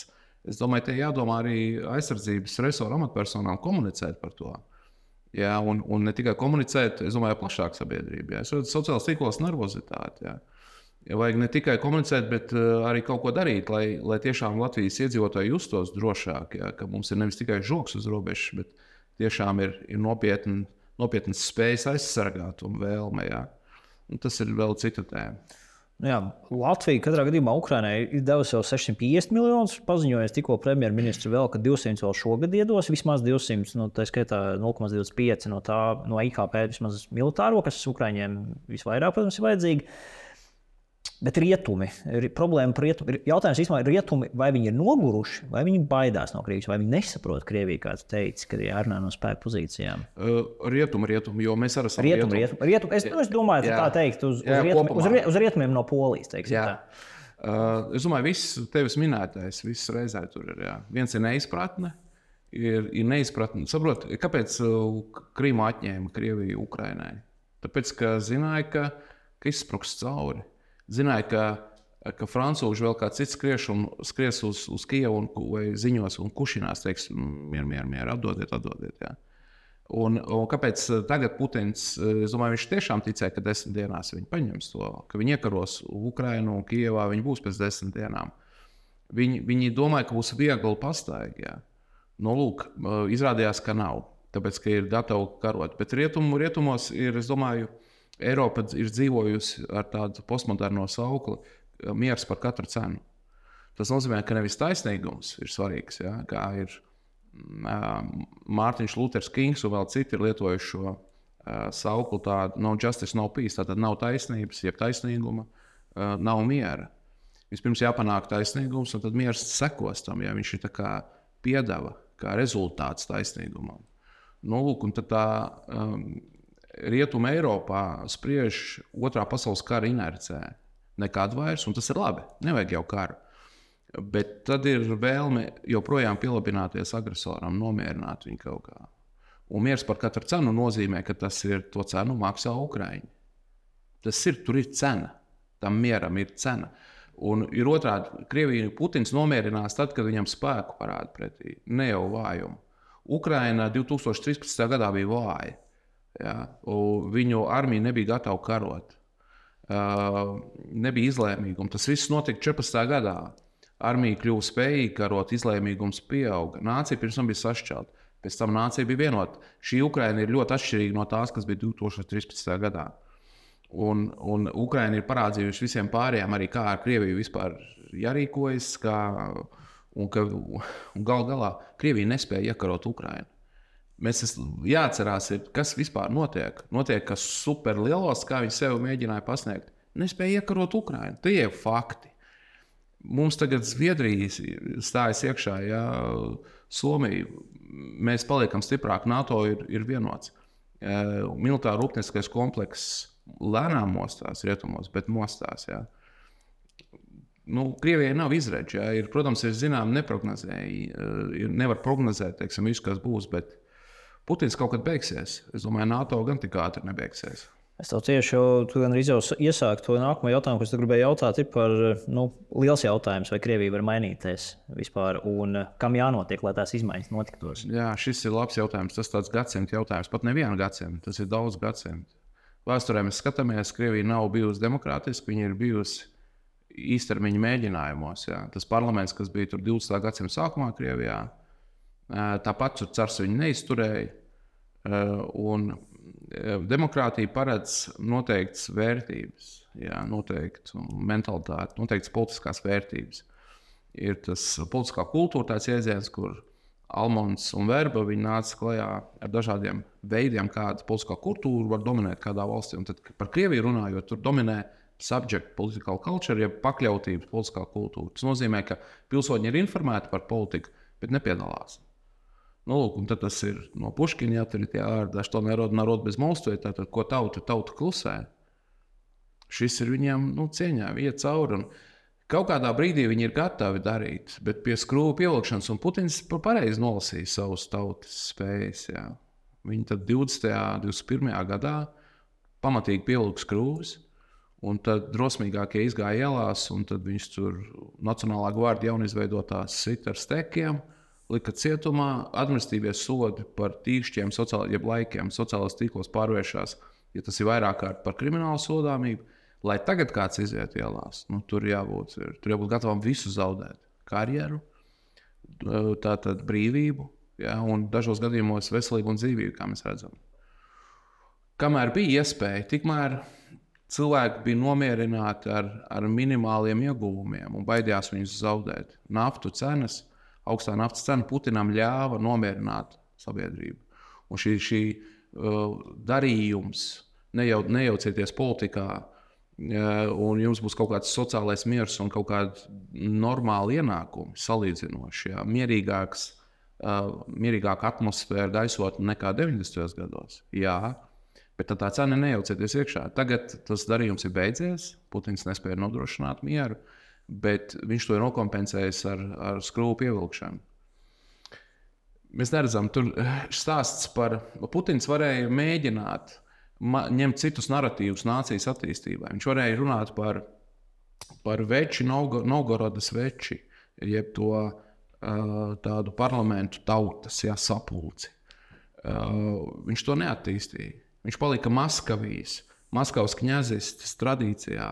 [SPEAKER 1] Es domāju, te jādomā arī aizsardzības resoru amatpersonām komunicēt par to. Jā, un, un ne tikai komunicēt, es domāju, plašāk sabiedrība. Es redzu sociālās tīklos nervozitāti. Jā. Ja vajag ne tikai komunicēt, bet uh, arī kaut ko darīt, lai, lai tiešām Latvijas iedzīvotāji justos drošāk, ja, ka mums ir nevis tikai žoks uz robežas, bet tiešām ir, ir nopietni, nopietnas spējas aizsargāt un vēlme. Ja. Un tas ir vēl cita tēma.
[SPEAKER 2] Jā, Latvija katrā gadījumā Ukrainai ir devusi jau sešsimt piecdesmit miljonus. Paziņoja tikko premjerministrs vēl, ka divsimt vēl šogad iedos, vismaz divsimt, no tā skaitā nulle komats divdesmit pieci no tā no I K P vismaz militāro, kas Ukraiņiem visvairāk, protams, ir vajadzīgi. Bet rietumi, ir problēma par rietumi. Jautājums īstenībā ir rietumi, vai viņi ir noguruši, vai viņi baidās no Krievijas, vai viņi nesaprot Krieviju, kā tu teici, kad ir jārunā no spēku pozīcijām.
[SPEAKER 1] Uh, rietumi, rietumi, jo mēs arī esam
[SPEAKER 2] rietumi. Rietumi, rietumi. Es, es domāju, jā. Tā teikt, uz, jā, uz, rietumi, uz, uz rietumiem no Polijas, teiksim jā. Tā.
[SPEAKER 1] Uh, es domāju, viss tevis minētais, viss reizē tur ir. Jā. Viens ir neizpratne, ir, ir neizpratne. Saprot, kāpēc Krīmu atņēma Krieviju Ukrainai? Tāpēc, ka zināja, ka, ka izspruks cauri. Zināja, ka, ka francūži vēl kā cits skries, un, skries uz, uz Kijevu un, vai ziņos un kušinās, teiks, mieru, mieru, mieru, atdodiet, atdodiet. Jā. Un, un kāpēc tagad Putins, es domāju, viņš tiešām ticēja, ka desmit dienās viņi paņems to, ka viņi iekaros Ukrainu un Kijevā, viņi būs pēc desmit dienām. Viņi, viņi domāja, ka būs viegli pastaigi. Jā. Nu, lūk, izrādījās, ka nav, tāpēc, ka ir gatavi karot. Bet rietumu, rietumos ir, es domāju, Eiropa ir dzīvojusi ar tādu postmoderno saukli miers par katru cenu. Tas nozīmē, ka nevis taisnīgums ir svarīgs, ja, kā ir uh, Mārtiņš Luters Kings un vēl citi ir lietojuši šo uh, saukli tādu no justice, no peace, tātad nav taisnības, jeb taisnīguma, uh, nav miera. Vispirms jāpanāk taisnīgums un tad miers sekos tam, ja viņš ir tā kā piedeva, kā rezultāts taisnīgumam. Nu, lūk, un tad tā... Um, Rietuma Eiropā spriež otrā pasaules kara inercē. Nekādu vairs, un tas ir labi. Nevajag jau karu. Bet tad ir vēlme joprojām pielabināties agresoram, nomierināt viņu kaut kā. Un miers par katru cenu nozīmē, ka tas ir to cenu maksā Ukraiņi. Tas ir, tur ir cena. Tam mieram ir cena. Un ir otrādi, Krievija Putins nomierinās tad, kad viņam spēku parāda pretī. Ne jau vājumu. Ukraina divi tūkstoši trīspadsmitajā gadā bija vāja. Ja, viņu armija nebija gatava karot, uh, nebija izlēmīguma. Tas viss notika četrpadsmitajā gadā. Armija kļuva spējīga karot, izlēmīgums pieauga. Nācija pirms tam bija sašķelta, pēc tam nācija bija vienota. Šī Ukraina ir ļoti atšķirīga no tās, kas bija divi tūkstoši trīspadsmitajā gadā. Un, un Ukraina ir parādījusi visiem pārējiem, arī kā ar Krieviju vispār jārīkojas, kā, un, ka, un gal galā Krievija nespēja iekarot Ukrainu. Mēs jāatcerās, kas vispār notiek. Notiek, kas superlielos, kā viņi sev mēģināja pasniegt. Nespēja iekarot Ukrainu. Tie ir fakti. Mums tagad Zviedrija stājas iekšā, ja Somija. Mēs paliekam stiprāk, NATO ir, ir vienots. Militāra rūpnieciskais komplekss lēnām mostās rietumos, bet mostās. Ja. Nu, Krievijai nav izredzi. Ja. Ir, protams, ir zinām neprognozēji. Nevar prognozēt, teiksim, visu, kas būs, bet Putins kaut kad beigsies. Es domāju, NATO gan tik ātri nebeigsies.
[SPEAKER 2] Es tev tieši jau, tu gan arī jau iesāki to nākamo jautājumu, kas tu gribēji jautāt, ir par nu, liels jautājums, vai Krievija var mainīties vispār un kam jānotiek, lai tās izmaiņas notiktos.
[SPEAKER 1] Jā, šis ir labs jautājums. Tas tāds gadsimta jautājums, pat nevienu gadsimtu, tas ir daudz gadsimtu. Vēsturē mēs skatāmies, Krievija nav bijusi demokrātiska, viņa ir bijusi īstermiņa mēģinājumos. Jā. Tas parlaments, kas bija tur divdesmitā gadsimta sākumā Krievijā, tāpat tur cars viņu neizturēja. Un demokrātija paredz noteiktas vērtības, jā, noteiktu mentalitāti, noteiktas politiskās vērtības. Ir tas politiskā kultūra, tāds jēdziens, kur Almons un Verba viņi nāca klajā ar dažādiem veidiem, kāda politiskā kultūra var dominēt kādā valstī. Un tad par Krieviju runājot, tur dominē subject political culture, jeb pakļautības politiskā kultūra. Tas nozīmē, ka pilsoņi ir informēti par politiku, bet nepiedalās. Nu, lūk, un tad tas ir no Puškina, ja tur ir tie ārdi, to narod, narod bez mostu, tātad, ko tauta, tauta klusē. Šis ir viņiem, nu, cieņā, iet cauri. Un kaut kādā brīdī viņi ir gatavi darīt, bet pie skrūvu pievilkšanas, un Putins pareizi nolasīja savus tautas spējas. Jā. Viņi tad divdesmitajā, divdesmit pirmajā gadā pamatīgi pievilka skrūvus, un tad drosmīgākie izgāja ielās, un tad viņš tur Nacionālā gvardija jaunizveidotās sit ar stekiem, lika cietumā, administratīvie sodi par tīkšķiem, sociāli, jeb laikiem, sociālās tīklos pārvēršās, ja tas ir vairāk kārt par kriminālu sodāmību. Lai tagad kāds iziet ielās, nu, tur jābūt, tur jābūt gatavam visu zaudēt. Karjeru, tātad brīvību, ja, un dažos gadījumos veselību un dzīvību, kā mēs redzam. Kamēr bija iespēja, tikmēr cilvēki bija nomierināti ar, ar minimāliem ieguvumiem un baidījās viņus zaudēt. Naftu cenas, augstā naftas cena Putinam ļāva nomierināt sabiedrību. Un šī, šī uh, darījums, nejau, nejaucieties politikā, un jums būs kaut kāds sociālais miers un kaut kādi normāli ienākumi salīdzinoši. Jā. Mierīgāks, uh, mierīgāka atmosfēra gaisotne nekā deviņdesmitajos gados. Jā, bet tā cena nejaucieties iekšā. Tagad tas darījums ir beidzies, Putins nespēja nodrošināt mieru, bet viņš to ir nokompensējis ar, ar skrūvu pievilkšanu. Mēs neredzam, tur stāsts par Putins varēja mēģināt ņemt citus narratīvus nācijas attīstībai. Viņš varēja runāt par, par veči, Novgorodas veči, jeb to uh, tādu parlamentu tautas, jā, sapulci. Uh, viņš to neattīstīja. Viņš palika Maskavijas, Maskavas kņazistes tradīcijā.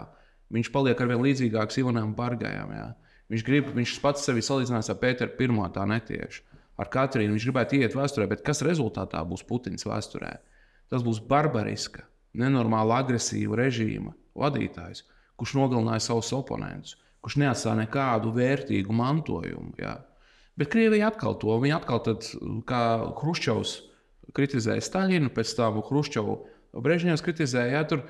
[SPEAKER 1] Viņš paliek arvien līdzīgāks Ivanam Bargajam. Jā. Viņš, grib, viņš pats sevi salīdzinās ar Pēteru pirmo, tā netieši. Ar Katrīnu viņš gribētu iet vēsturē, bet kas rezultātā būs Putins vēsturē? Tas būs barbariska, nenormāla agresīva režīma vadītājs, kurš nogalināja savus oponentus, kurš neatstāja nekādu vērtīgu mantojumu. Jā. Bet Krievija atkal to, viņa atkal tad, kā Hruščovs kritizēja Staļinu, pēc tam Hruščovu Brežņevs kritizēja, jā, tur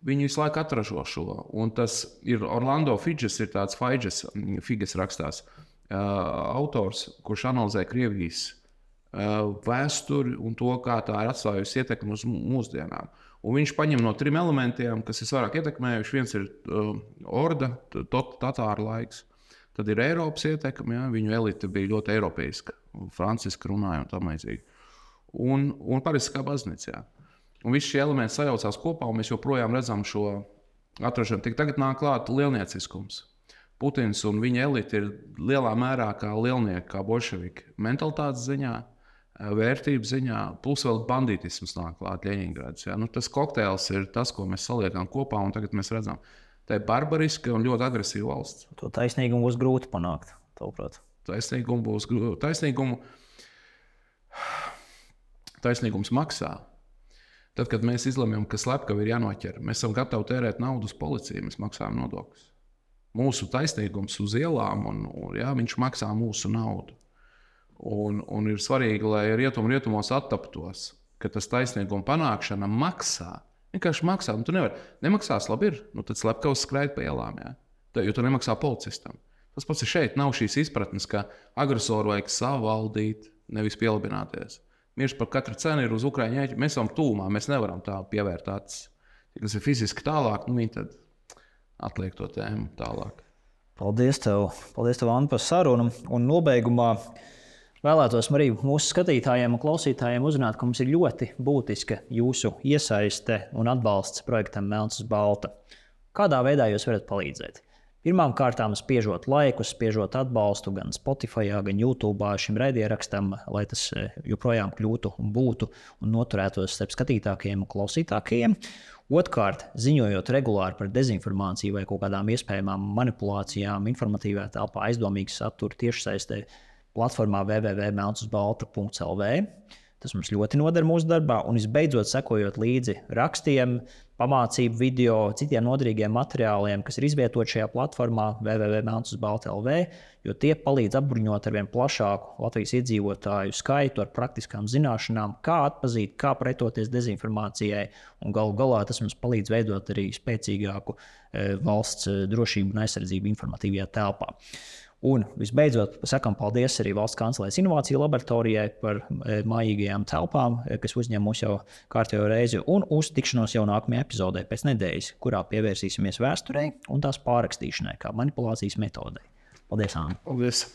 [SPEAKER 1] viņi visu laiku atražo šo. Un tas ir Orlando Fidžes, ir tāds Fidžes, Figes rakstās, uh, autors, kurš analizē Krievijas vēsturi un to, kā tā ir atstājusi ietekmi uz mūsdienām. Un viņš paņem no trim elementiem, kas ir vairāk ietekmējuši. Viens ir uh, orda, tatāru laiks. Tad ir Eiropas ietekme, ja? Viņu elite bija ļoti eiropeiska, franciska runāja un tam līdzīgi. Un, un parasti kā baznīca. Ja? Un visi šie elementi sajaucās kopā, un mēs joprojām redzam šo atrašanu. Tik tagad nāk klāt lielnieciskums. Putins un viņa elite ir lielā mērā kā lielnieki, kā bolševiki mentalitātes ziņā, vērtību ziņā, plus vēl bandītisms nāk klāt Ļeņingrads. Ja? Nu, tas kokteils ir tas, ko mēs saliekam kopā, un tagad mēs redzam, tā ir barbariska un ļoti agresīva valsts.
[SPEAKER 2] To taisnīgumu būs grūti panākt, tavuprāt.
[SPEAKER 1] Taisnīgumu būs grūti. Taisnīgumu, taisnīgums maksā. Tad, kad mēs izlemjam, ka slepkavi ir jānoķer, mēs esam gatavi tērēt naudu uz policiju, mēs maksājam nodokļus. Mūsu taisnīgums uz ielām, un, un jā, viņš maksā mūsu naudu. Un, un ir svarīgi, lai rietum rietumos attaptos, ka tas taisnīguma panākšana maksā. Vienkārši maksā. Nu, tu nevari. Nemaksās, labi ir. Nu, tad slepkavs skraid pa ielām, jā. Tā, jo tu nemaksā policistam. Tas pats ir šeit. Nav šīs izpratnes, ka agresoru vajag savaldīt, nevis pielabināties. Mirs par katru cenu ir uz Ukraiņu ēķi. Mēs esam tūmā, mēs nevaram tā pievērt acis. Ja tas ir fiziski tālāk, nu viņi tad atliek to tēmu tālāk.
[SPEAKER 2] Paldies tev, Paldies tev Anna, par sarunu. Un nobeigumā vēlētos arī mūsu skatītājiem un klausītājiem uzrunāt, ka mums ir ļoti būtiska jūsu iesaiste un atbalsts projektam Melns uz Balta. Kādā veidā jūs varat palīdzēt? Pirmām kārtām spiežot laikus, spiežot atbalstu gan Spotify, gan YouTube šim raidierakstam, lai tas joprojām kļūtu un būtu un noturētos starp skatītākajiem un klausītākajiem. Otkārt, ziņojot regulāri par dezinformāciju vai kaut kādām iespējamām manipulācijām, informatīvā telpā aizdomīgu saturu tiešsaistē platformā w w w punkt melns uz balta punkts l v. Tas mums ļoti noder mūsu darbā. Un visbeidzot, sekojot līdzi rakstiem, pamācību video, citiem noderīgiem materiāliem, kas ir izvietoti šajā platformā w w w punkt melns uz balta punkt l v, jo tie palīdz apbruņot ar vien plašāku Latvijas iedzīvotāju skaitu ar praktiskām zināšanām, kā atpazīt, kā pretoties dezinformācijai, un galu galā tas mums palīdz veidot arī spēcīgāku e, valsts drošību un aizsardzību informatīvajā telpā. Un visbeidzot, sakām paldies arī Valsts kancelēs inovāciju laboratorijai par e, mājīgajām telpām, e, kas uzņem mūs jau kārtējo reizi, un uz tikšanos jau nākamajā epizodē pēc nedēļas, kurā pievērsīsimies vēsturei un tās pārrakstīšanai, kā manipulācijas metodei. Paldies, Āna!
[SPEAKER 1] Paldies!